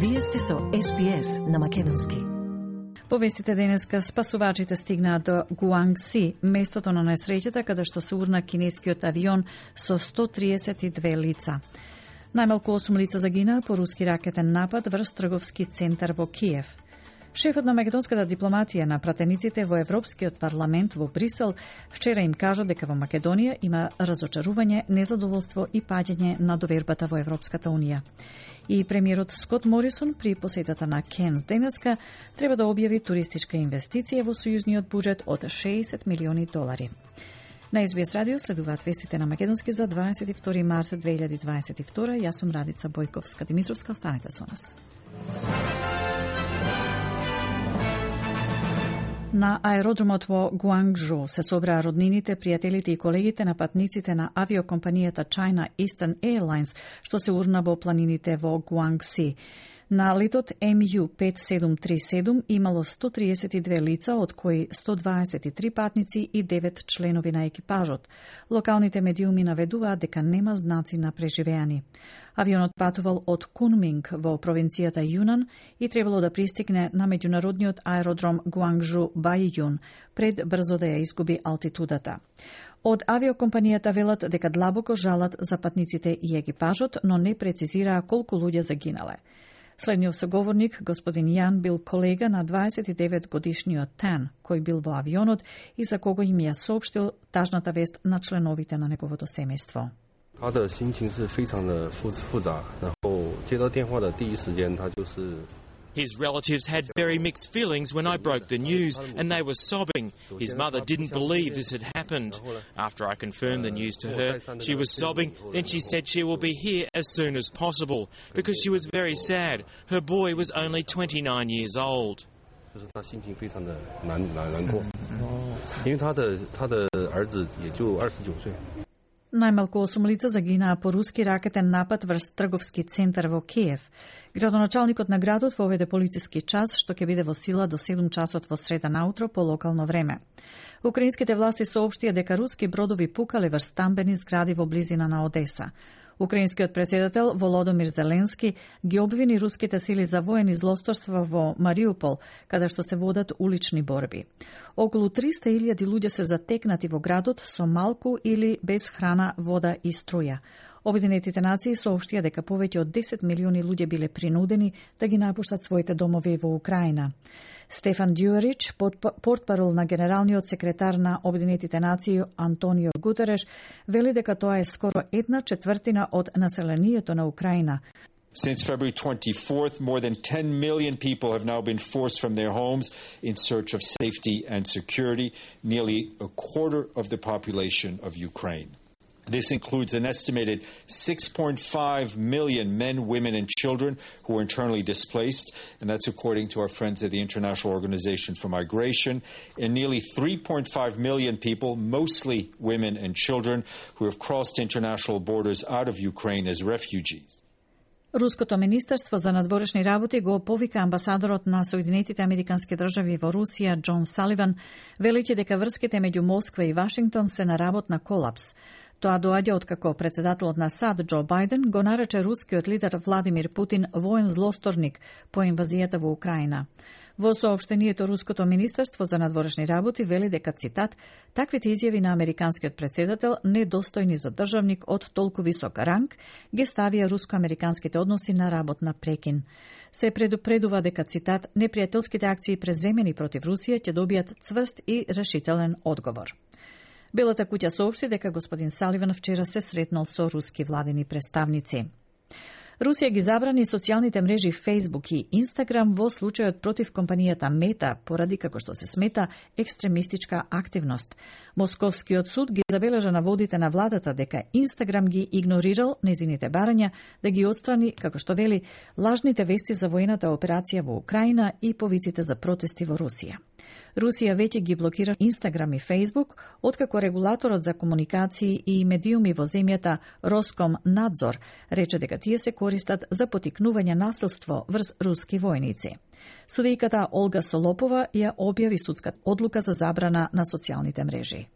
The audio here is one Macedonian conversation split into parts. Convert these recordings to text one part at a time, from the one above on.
Вие сте со СПС на македонски. По вестите денеска, спасувачите стигнаат до Гуангси, местото на несреќата каде што се урна кинескиот авион со 132 лица. Најмалку 8 лица загинаа по руски ракетен напад врз трговски центар во Киев. Шефот на македонската дипломатија на пратениците во Европскиот парламент во Брисел вчера им кажа дека во Македонија има разочарување, незадоволство и паѓање на довербата во Европската унија. И премиерот Скот Морисон при посетата на Кенс денеска треба да објави туристичка инвестиција во сојузниот буџет од $60 милиони. На СБС радио следуваат вестите на македонски за 22 март 2022. Јас сум Радица Бојковска-Димитровска. Останете со нас. На аеродромот во Гуангжоу се собраа роднините, пријателите и колегите на патниците на авиокомпанијата China Eastern Airlines, што се урна во планините во Гуангси. На летот MU5737 имало 132 лица, од кои 123 патници и 9 членови на екипажот. Локалните медиуми наведуваат дека нема знаци на преживеани. Авионот патувал од Кунминг во провинцијата Јунан и требало да пристигне на меѓународниот аеродром Гуангжу Бајјун пред брзо да ја изгуби алтитудата. Од авиокомпанијата велат дека длабоко жалат за патниците и екипажот, но не прецизираа колку луѓе загинале. Следниот соговорник, господин Јан, бил колега на 29-годишниот Тан, кој бил во авионот и за кого им ја соопштил тажната вест на членовите на неговото семејство. 他的心情是非常的复杂，然后接到电话的第一时间，他就是 His relatives had very mixed feelings when I broke the news, and they were sobbing. His mother didn't believe this had happened. After I confirmed the news to her, she was sobbing. Then she said she will be here as soon as possible, because she was very sad. Her boy was only 29 years old. 就是他心情非常的难过，因为他的儿子也就29岁。 Најмалку 8 лица загинаа по руски ракетен напад врз трговски центар во Киев. Градоначалникот на градот воведе полициски час, што ќе биде во сила до 7 часот во среда наутро по локално време. Украинските власти соопштија дека руски бродови пукале врз стамбени згради во близина на Одеса. Украинскиот председател Володомир Зеленски ги обвини руските сили за воени злосторства во Мариупол, каде што се водат улични борби. Околу 300.000 луѓе се затекнати во градот со малку или без храна, вода и струја. Обединетите нации соопштија дека повеќе од 10 милиони луѓе биле принудени да ги напуштат своите домови во Украина. Стефан Дюарич, портпарол на генералниот секретар на Обединетите нации Антонио Гутереш, вели дека тоа е скоро 1/4 од населението на Украина. Since February 24th, more than 10 million people have now been forced from their homes in search of safety and security, nearly a quarter of the population of Ukraine. This includes an estimated 6.5 million men, women, and children who are internally displaced, and that's according to our friends at the International Organization for Migration, and nearly 3.5 million people, mostly women and children, who have crossed international borders out of Ukraine as refugees. Руското министерство за надворешни работи го повика амбасадорот на Соединетите Американски држави во Русија Џон Саливан, велејќи дека врските меѓу Москва и Вашингтон се на работ на колапс. Тоа доаѓа откако председателот на САД Џо Бајден го нарече рускиот лидер Владимир Путин воен злосторник по инвазијата во Украина. Во соопштението Руското министерство за надворешни работи вели дека, цитат, таквите изјави на американскиот председател, недостојни за државник од толку висок ранг, ги ставија руско-американските односи на работна прекин. Се предупредува дека, цитат, непријателските акции преземени против Русија ќе добијат цврст и решителен одговор. Белата куќа соопшти дека господин Саливан вчера се сретнал со руски владени представници. Русија ги забрани социјалните мрежи Facebook и Instagram во случајот против компанијата Мета, поради како што се смета екстремистичка активност. Московскиот суд ги забележа наводите на владата дека Instagram ги игнорирал незините барања да ги отстрани, како што вели, лажните вести за воената операција во Украина и повиците за протести во Русија. Русија веќе ги блокира Instagram и Facebook, откако регулаторот за комуникации и медиуми во земјата Роскомнадзор рече дека тие се користат за потикнување насилство врз руски војници. Судијката Олга Солопова ја објави судска одлука за забрана на социјалните мрежи.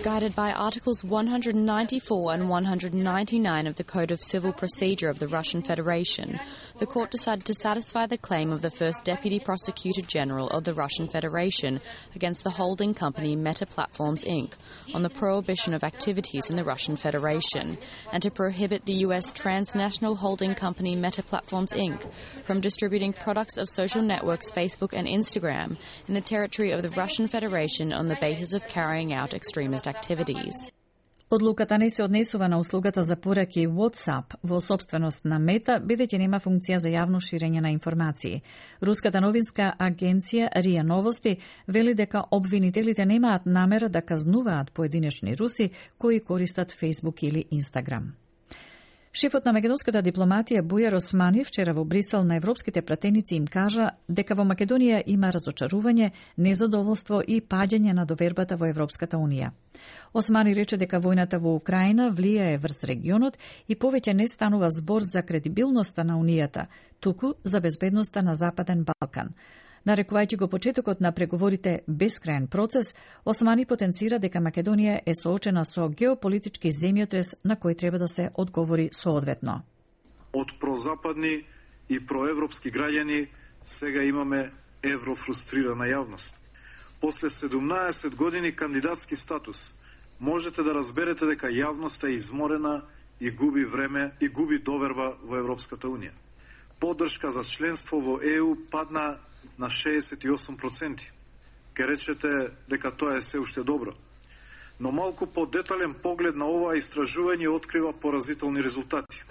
Guided by Articles 194 and 199 of the Code of Civil Procedure of the Russian Federation, the court decided to satisfy the claim of the first Deputy Prosecutor General of the Russian Federation against the holding company Meta Platforms Inc. on the prohibition of activities in the Russian Federation, and to prohibit the U.S. transnational holding company Meta Platforms Inc. from distributing products of social networks Facebook and Instagram in the territory of the Russian Federation on the basis of carrying out extremist activities. Одлуката не се однесува на услугата за пораки WhatsApp во сопственост на Мета, бидејќи нема функција за јавно ширење на информации. Руската новинска агенција РИА Новости вели дека обвинителите немаат намера да казнуваат поединечни руси кои користат Facebook или Instagram. Шефот на македонската дипломатија Бујар Османи вчера во Брисел на европските пратеници им кажа дека во Македонија има разочарување, незадоволство и паѓање на довербата во Европската Унија. Османи рече дека војната во Украина влијае врз регионот и повеќе не станува збор за кредибилноста на Унијата, туку за безбедноста на Западен Балкан. Нарекувајќи го почетокот на преговорите бескрајен процес, Османи потенцира дека Македонија е соочена со геополитички земјотрес на кој треба да се одговори соодветно. Од прозападни и проевропски граѓани сега имаме еврофрустрирана јавност. После 17 години кандидатски статус, можете да разберете дека јавноста е изморена и губи време и губи доверба во Европската Унија. Поддршка за членство во ЕУ падна на 68%. Ке речете дека тоа е се уште добро. Но малку подетален поглед на ова истражување открива поразителни резултати.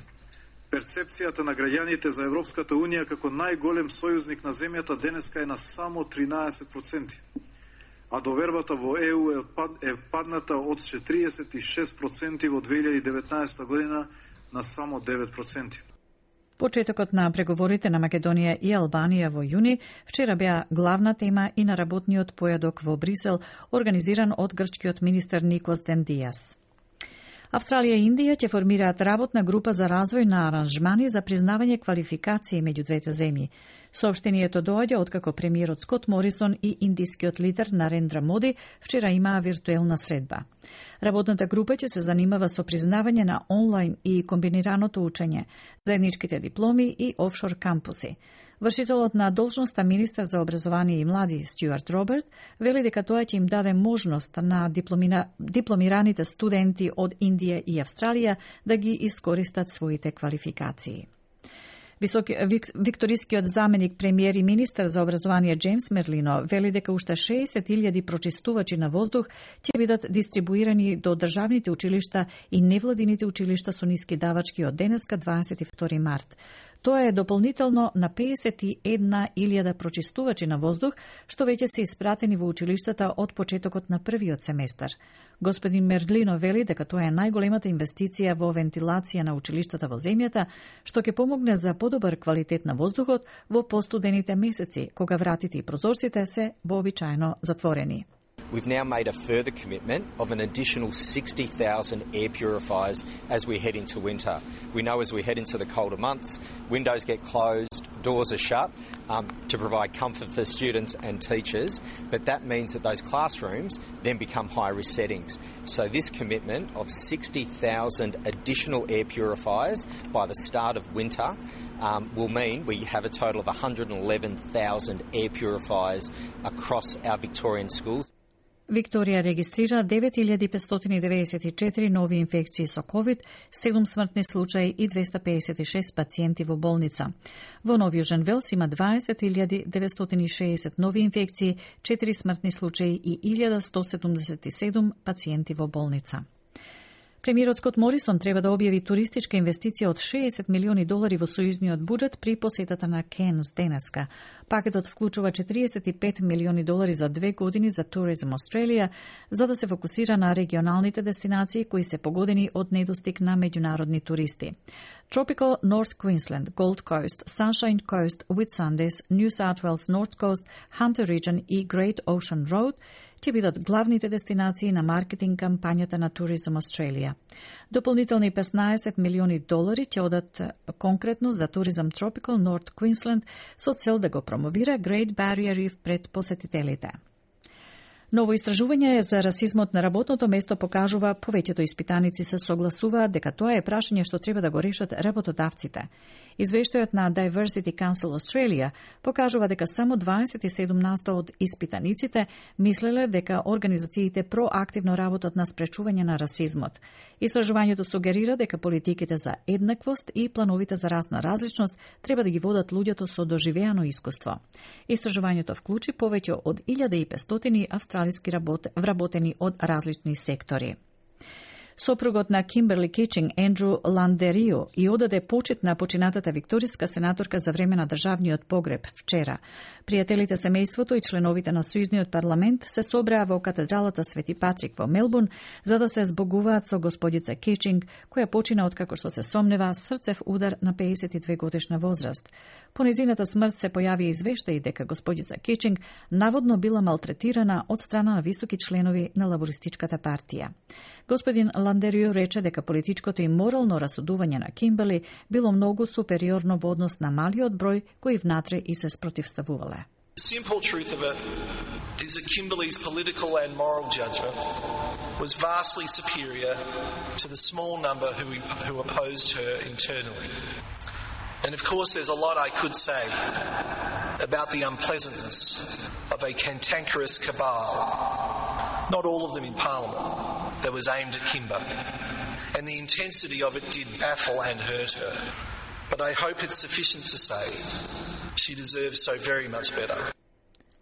Перцепцијата на граѓаните за Европската Унија како најголем сојузник на земјата денеска е на само 13%. А довербата во ЕУ е падната од 46% во 2019 година на само 9%. Почетокот на преговорите на Македонија и Албанија во јуни вчера беа главна тема и на работниот појадок во Брисел, организиран од грчкиот министер Никос Дендијас. Австралија и Индија ќе формираат работна група за развој на аранжмани за признавање квалификации меѓу двете земји. Соопштението доаѓа откако премиерот Скот Морисон и индискиот лидер Нарендра Моди вчера имаа виртуелна средба. Работната група ќе се занимава со признавање на онлайн и комбинираното учење, заедничките дипломи и офшор кампуси. Вршителот на должноста министер за образование и млади Стюарт Роберт вели дека тоа ќе им даде можност на дипломираните студенти од Индија и Австралија да ги искористат своите квалификации. Викторискиот заменик премиер и министер за образование Джеймс Мерлино вели дека уште 60.000 прочистувачи на воздух ќе бидат дистрибуирани до државните училишта и невладините училишта со ниски давачки од денеска 22 март. Тоа е дополнително на 51.000 прочистувачи на воздух, што веќе се испратени во училиштата од почетокот на првиот семестар. Господин Мерлино вели дека тоа е најголемата инвестиција во вентилација на училиштата во земјата, што ќе помогне за подобар квалитет на воздухот во постудените месеци, кога вратите и прозорците се вообичаено затворени. We've now made a further commitment of an additional 60,000 air purifiers as we head into winter. We know as we head into the colder months, windows get closed, doors are shut to provide comfort for students and teachers, but that means that those classrooms then become high-risk settings. So this commitment of 60,000 additional air purifiers by the start of winter will mean we have a total of 111,000 air purifiers across our Victorian schools. Викторија регистрира 9.594 нови инфекции со COVID, 7 смртни случаи и 256 пациенти во болница. Во Нов Јужен Велс има 20.960 нови инфекции, 4 смртни случаи и 1.177 пациенти во болница. Премиерот Скот Морисон треба да објави туристичка инвестиција од $60 милиони во сојузниот буџет при посетата на Кенс денеска. Пакетот вклучува $45 милиони за 2 години за Tourism Australia, за да се фокусира на регионалните дестинации кои се погодени од недостиг на меѓународни туристи. Tropical North Queensland, Gold Coast, Sunshine Coast, Whitsundays, New South Wales North Coast, Hunter Region и Great Ocean Road ќе бидат главните дестинации на маркетинг кампањата на Tourism Australia. Дополнителни $15 милиони ќе одат конкретно за Tourism Tropical North Queensland со цел да го промовира Great Barrier Reef пред посетителите. Ново истражување за расизмот на работното место покажува повеќето испитаници се согласуваат дека тоа е прашање што треба да го решат работодавците. Извештајот на Diversity Council Australia покажува дека само 27% од испитаниците мислеле дека организациите проактивно работат на спречување на расизмот. Истражувањето сугерира дека политиките за еднаквост и плановите за расна различност треба да ги водат луѓето со доживеано искуство. Истражувањето вклучи повеќе од 1500 австралиски вработени од различни сектори. Сопругот на Кимберли Кичинг, Ендрю Ландерио, и одаде почит на починатата викториска сенаторка за време на државниот погреб вчера. Пријателите, семејството и членовите на Сојузниот парламент се собраа во катедралата Свети Патрик во Мелбурн за да се збогуваат со господица Кичинг, која почина откако што се сомнева срцев удар на 52 годишна возраст. По незината смрт се појави извештаи дека господица Кичинг наводно била малтретирана од страна на високи членови на лабористичката партија. Господин Ландерио рече дека политичкото и морално расудување на Кимберли било многу супериорно во однос на малиот број кои внатре и се спротивставувале. The simple truth of it is that Kimberley's political and moral judgment was vastly superior to the small number who opposed her internally. And of course there's a lot I could say about the unpleasantness of a cantankerous cabal, not all of them in Parliament, that was aimed at Kimber. And the intensity of it did baffle and hurt her. But I hope it's sufficient to say she deserves so very much better.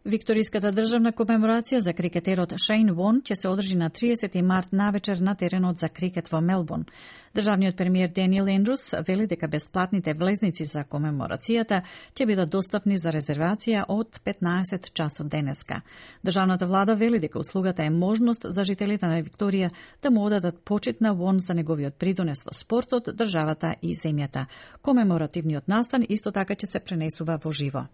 Викториската државна комеморација за крикетерот Шейн Вон ќе се одржи на 30 март навечер на теренот за крикет во Мелбурн. Државниот премиер Даниел Ендрус вели дека бесплатните влезници за комеморацијата ќе бидат достапни за резервација од 15 часот денеска. Државната влада вели дека услугата е можност за жителите на Викторија да му одадат почит на Вон за неговиот придонес во спортот, државата и земјата. Комеморативниот настан исто така ќе се пренесува во живо.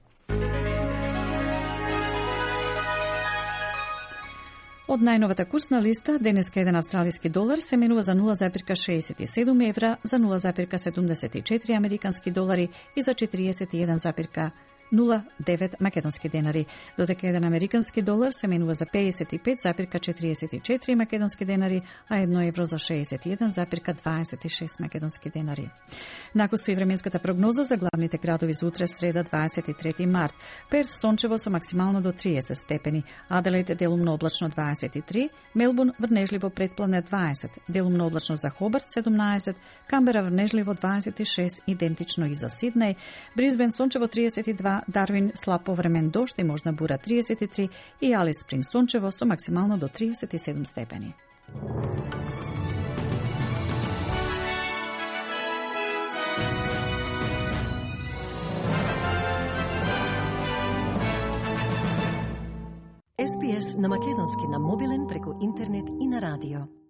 Од најновата курсна листа, денеска еден австралиски долар се менува за 0,67 евра, за 0,74 американски долари и за 41,09 македонски денари, додека еден американски долар се менува за 55,44 македонски денари, а 1 евро за 61,26 македонски денари. Накусу и временската прогноза за главните градови за утре среда 23 март. Перт сончево со максимално до 30 степени, Аделаид делумно облачно 23, Мелбурн врнежливо претпладне 20, делумно облачно за Хобарт 17, Камбера врнежливо 26, идентично и за Сиднеј, Брисбен сончево 32, Дарвин слаб повремен дожд и можна бура 33 и Алис Спринг сончево со максимално до 37 степени. SPS на македонски на мобилен преку интернет и на радио.